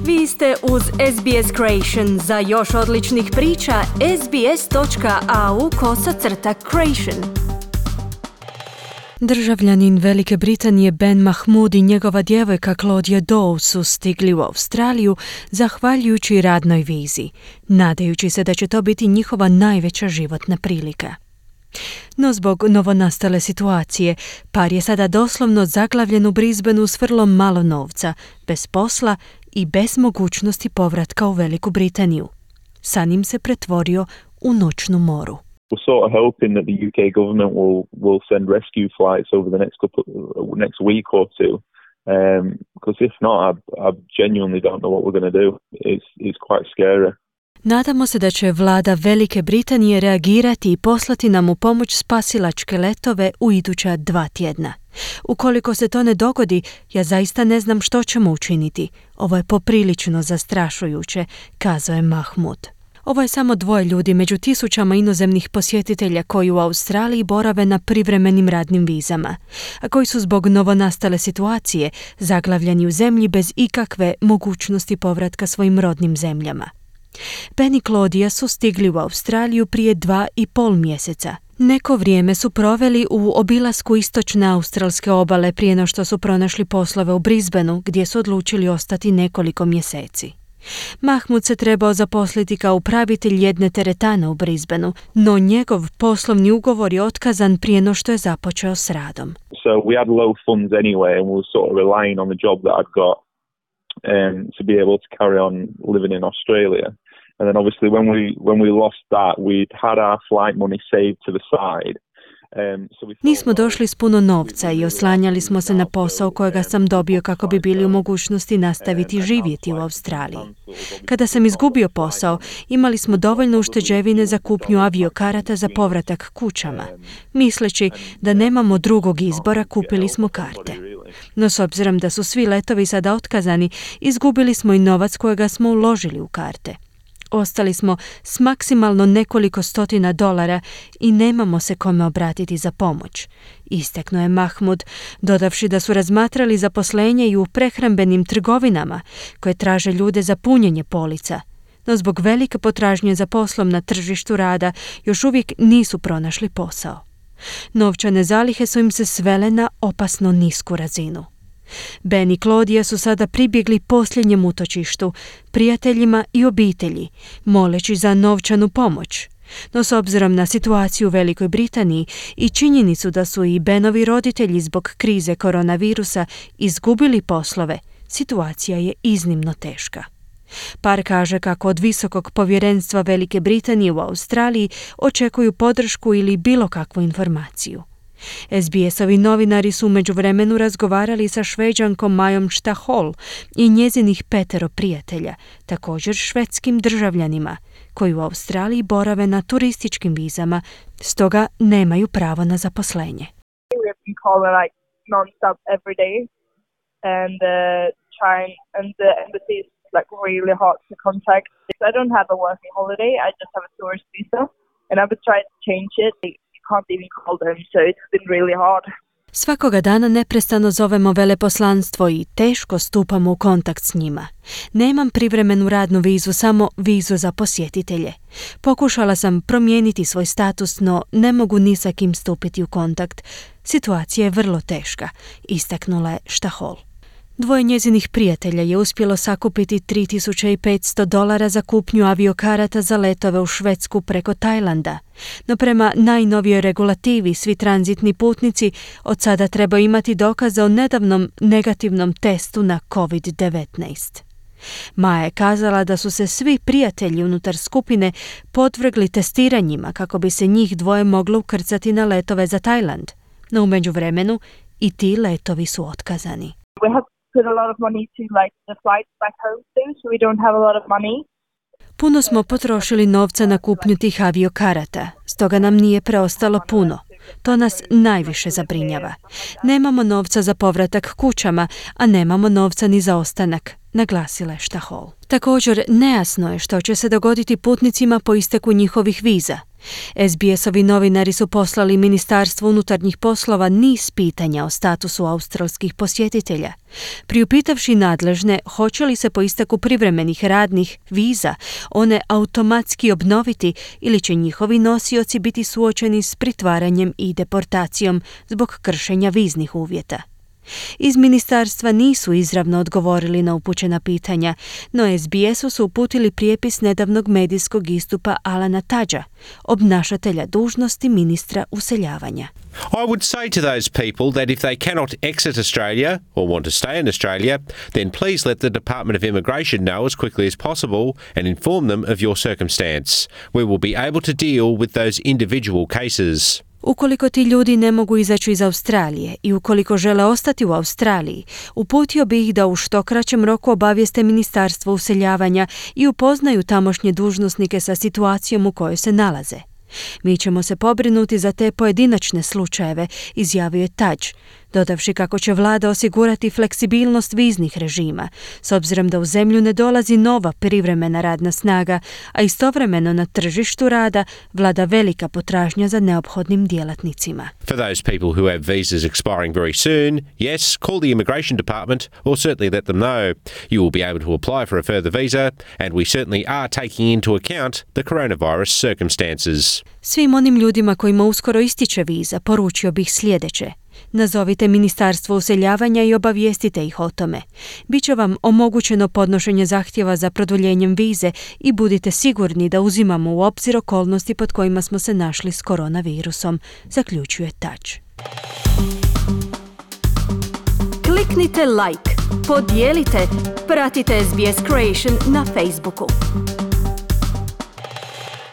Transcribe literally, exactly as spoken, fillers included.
Vi ste uz S B S Creation. Za još odličnih priča, sbs.au kosacrta creation. Državljanin Velike Britanije Ben Mahmoud i njegova djevojka Claudia Doe su stigli u Australiju zahvaljujući radnoj vizi, nadajući se da će to biti njihova najveća životna prilika. No zbog novonastale situacije, par je sada doslovno zaglavljen u Brisbaneu s vrlo malo novca, bez posla i bez mogućnosti povratka u Veliku Britaniju. San im se pretvorio u noćnu moru. We're sort of hoping that the U K government will will send rescue flights over the next couple next week or two, um, because if not, I, I genuinely don't know what we're going to do. It's it's quite scary. Nadamo se da će vlada Velike Britanije reagirati i poslati nam u pomoć spasilačke letove u iduća dva tjedna. Ukoliko se to ne dogodi, ja zaista ne znam što ćemo učiniti. Ovo je poprilično zastrašujuće, kazao je Mahmoud. Ovo je samo dvoje ljudi među tisućama inozemnih posjetitelja koji u Australiji borave na privremenim radnim vizama, a koji su zbog novonastale situacije zaglavljeni u zemlji bez ikakve mogućnosti povratka svojim rodnim zemljama. Ben i Claudia su stigli u Australiju prije dva i pol mjeseca. Neko vrijeme su proveli u obilasku istočne australske obale prije no što su pronašli poslove u Brisbaneu, gdje su odlučili ostati nekoliko mjeseci. Mahmoud se trebao zaposliti kao upravitelj jedne teretane u Brisbaneu, no njegov poslovni ugovor je otkazan prije no što je započeo s radom. So we had low funds anyway, and we were sort of relying on the job that I'd got um, to be able to carry on living in Australia. And then obviously when we when we lost that, we'd had our flight money saved to the side. Um, so we Nismo došli s puno novca i oslanjali smo se na posao kojega sam dobio kako bi bili u mogućnosti nastaviti živjeti u Australiji. Kada sam izgubio posao, imali smo dovoljno ušteđevine za kupnju aviokarata za povratak kućama. Misleći da nemamo drugog izbora, kupili smo karte. No s obzirom da su svi letovi sada otkazani, izgubili smo i novac kojega smo uložili u karte. Ostali smo s maksimalno nekoliko stotina dolara i nemamo se kome obratiti za pomoć, istaknuo je Mahmoud, dodavši da su razmatrali zaposlenje i u prehrambenim trgovinama koje traže ljude za punjenje polica, no zbog velike potražnje za poslom na tržištu rada još uvijek nisu pronašli posao. Novčane zalihe su im se svele na opasno nisku razinu. Ben i Claudia su sada pribjegli posljednjem utočištu, prijateljima i obitelji, moleći za novčanu pomoć. No s obzirom na situaciju u Velikoj Britaniji i činjenicu da su i Benovi roditelji zbog krize koronavirusa izgubili poslove, situacija je iznimno teška. Par kaže kako od visokog povjerenstva Velike Britanije u Australiji očekuju podršku ili bilo kakvu informaciju. S B S-ovi novinari su u međuvremenu razgovarali sa Šveđankom Majom Štahol i njezinih petero prijatelja, također švedskim državljanima, koji u Australiji borave na turističkim vizama, stoga nemaju pravo na zaposlenje. Can't even call them, so it's been really hard. Svakoga dana neprestano zovemo veleposlanstvo i teško stupamo u kontakt s njima. Nemam privremenu radnu vizu, samo vizu za posjetitelje. Pokušala sam promijeniti svoj status, no ne mogu ni sa kim stupiti u kontakt. Situacija je vrlo teška, istaknula je Štahol. Dvoje njezinih prijatelja je uspjelo sakupiti tri tisuće petsto dolara za kupnju aviokarata za letove u Švedsku preko Tajlanda. No prema najnovijoj regulativi svi tranzitni putnici od sada trebaju imati dokaze o nedavnom negativnom testu na covid devetnaest. Maja je kazala da su se svi prijatelji unutar skupine podvrgli testiranjima kako bi se njih dvoje moglo ukrcati na letove za Tajland. No u međuvremenu i ti letovi su otkazani. We have put a lot of money to like the flights back home too, so we don't have a lot of money. Puno smo potrošili novca na kupnju tih aviokarata, stoga nam nije preostalo puno. To nas najviše zabrinjava. Nemamo novca za povratak kućama, a nemamo novca ni za ostanak, naglasila je Štahol. Također, nejasno je što će se dogoditi putnicima po isteku njihovih viza. S B S-ovi novinari su poslali Ministarstvu unutarnjih poslova niz pitanja o statusu australskih posjetitelja, priupitavši nadležne hoće li se po isteku privremenih radnih viza one automatski obnoviti ili će njihovi nosioci biti suočeni s pritvaranjem i deportacijom zbog kršenja viznih uvjeta. Iz ministarstva nisu izravno odgovorili na upućena pitanja, no S B S-u su uputili prijepis nedavnog medijskog istupa Alana Tudgea, obnašatelja dužnosti ministra useljavanja. I would say to those people that if they cannot exit Australia or want to stay in Australia, then please let the Department of Immigration know as quickly as possible and inform them of your circumstance. We will be able to deal with those individual cases. Ukoliko ti ljudi ne mogu izaći iz Australije i ukoliko žele ostati u Australiji, uputio bi ih da u što kraćem roku obavijeste Ministarstvo useljavanja i upoznaju tamošnje dužnosnike sa situacijom u kojoj se nalaze. Mi ćemo se pobrinuti za te pojedinačne slučajeve, izjavio je Tudge, dodavši kako će vlada osigurati fleksibilnost viznih režima, s obzirom da u zemlju ne dolazi nova privremena radna snaga, a istovremeno na tržištu rada vlada velika potražnja za neophodnim djelatnicima. For those people who have visas expiring very soon, yes, call the Immigration Department or certainly let them know. You will be able to apply for a further visa and we certainly are taking into account the coronavirus circumstances. Svim onim ljudima kojima uskoro ističe viza poručio bih sljedeće. Nazovite Ministarstvo useljavanja i obavijestite ih o tome. Biće vam omogućeno podnošenje zahtjeva za produljenjem vize i budite sigurni da uzimamo u obzir okolnosti pod kojima smo se našli s koronavirusom, zaključuje Tudge. Kliknite like, podijelite, pratite S B S Creation na Facebooku.